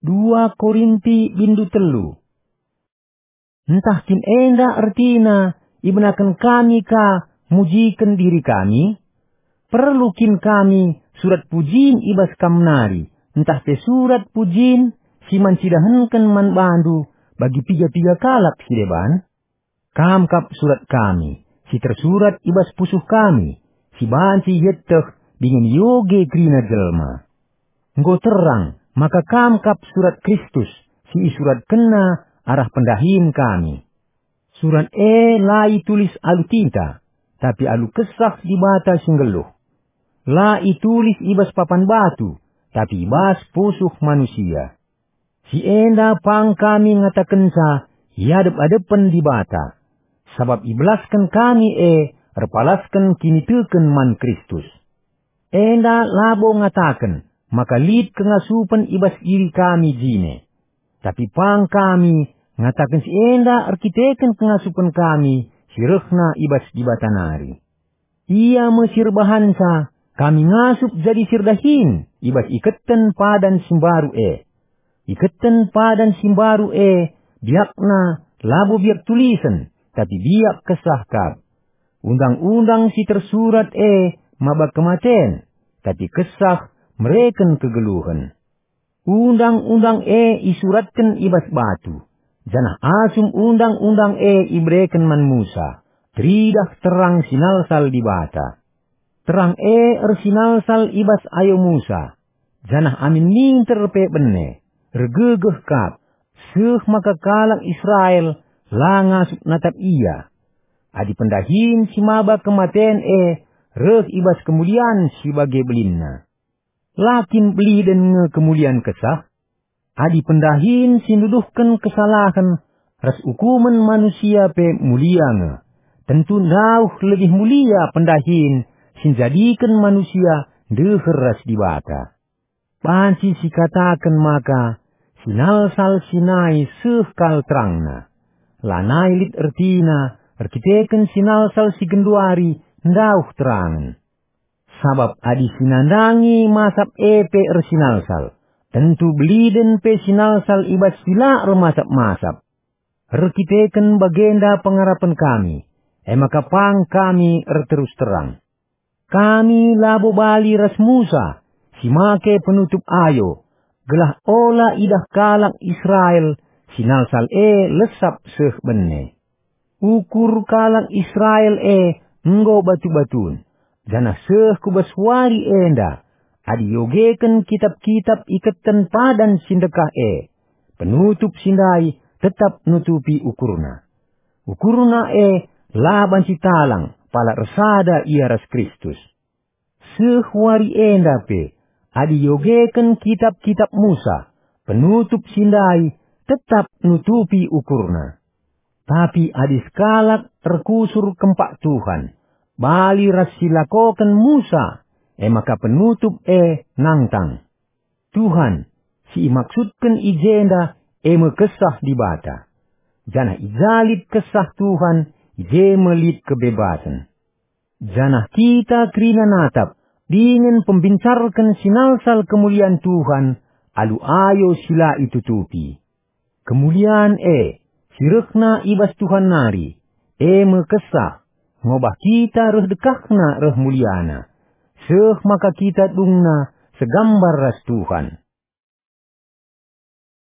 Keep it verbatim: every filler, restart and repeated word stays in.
Dua Korinti bindu telu. Ntah kin enda ertina ibenaken kami ka mujiken diri kami? Perlu kin kami surat pujin i bas kam nari, ntah pe surat pujin si man cidahenken man bandu bagi piga-piga kalak si deban? Kam kap surat kami, si tersurat i bas pusuh kami, si banci ieteh dingen ioge kerina jelma. Enggo terang maka kam kap surat Kristus, si isuratkenna arah pendahin kami. Surat e la itulis alu tinta, tapi alu Kesah Dibata si nggeluh. La itulis i bas papan batu, tapi i bas pusuh manusia. Si enda pang kami ngatakenca i adep-adepen Dibata, sabap ibelasken kami e erpalasken kiniteken man Kristus. Enda labo ngataken maka lit kengasupen i bas diri kami jine, tapi pang kami ngataken si enda erkiteken kengasupen kami si rehna i bas Dibata nari. Ia me si erbahanca kami ngasup jadi si erdahin i bas iketen padan si mbaru e. Iketen padan si mbaru e biakna labo biak tulisen, tapi biak Kesah kap. Undang-undang si tersurat e maba kematen, tapi Kesah mereken kegeluhen. Undang-undang e isuratken i bas batu, janah asum undang-undang e ibereken man Musa, teridah terang sinalsal Dibata. Terang e ersinalsal i bas ayo Musa, janah amin minter pe bene, ergegeh kap, seh maka kalak Israel la ngasup natap ia. Adi pendahin si maba kematen e reh i bas kemulian si bage belinna, la kin beliden nge kemulian Kesah? Adi pendahin si nuduhken kesalahen ras ukumen manusia pe mulia nge, tentu ndauh lebih mulia pendahin si njadiken manusia ndeher ras Dibata. Banci sikataken maka sinalsal si nai seh kal terangna. Lanai lit ertina erkiteken sinalsal si genduari ndauh terangen. Sabap adi si nandangi masap e pe ersinalsal, tentu beliden pe sinalsal i bas si la ermasap-masap. Erkiteken bagenda pengarapen kami, e maka pang kami erterus terang. Kami labo bali ras Musa si make penutup ayo, gelah ola idah kalak Israel sinalsal e lesap seh bene. Ukur kalak Israel e enggo batu-batun, janah seh ku bas wari enda, adi iogeken kitap-kitap iketen padan si ndekah e, penutup si ndai tetap nutupi ukurna. Ukurna e la banci talang pala ersada ia ras Kristus. Seh wari enda pe, adi iogeken kitap-kitap Musa, penutup si ndai tetap nutupi ukurna. Tapi adi sekalak erkusur kempak Tuhan, bali ras si lakoken Musa, e maka penutup e nangtang. Tuhan, si imaksudken i jenda, e me Kesah Dibata. Janah i ja lit Kesah Tuhan, i je me lit kebebasen. Janah kita kerina natap dingen pembincarken sinalsal kemulian Tuhan alu ayo si la itutupi. Kemulian e, si rehna i bas Tuhan nari, e me Kesah, ngobah kita reh dekahna reh muliana, seh maka kita dungna segambar ras Tuhan.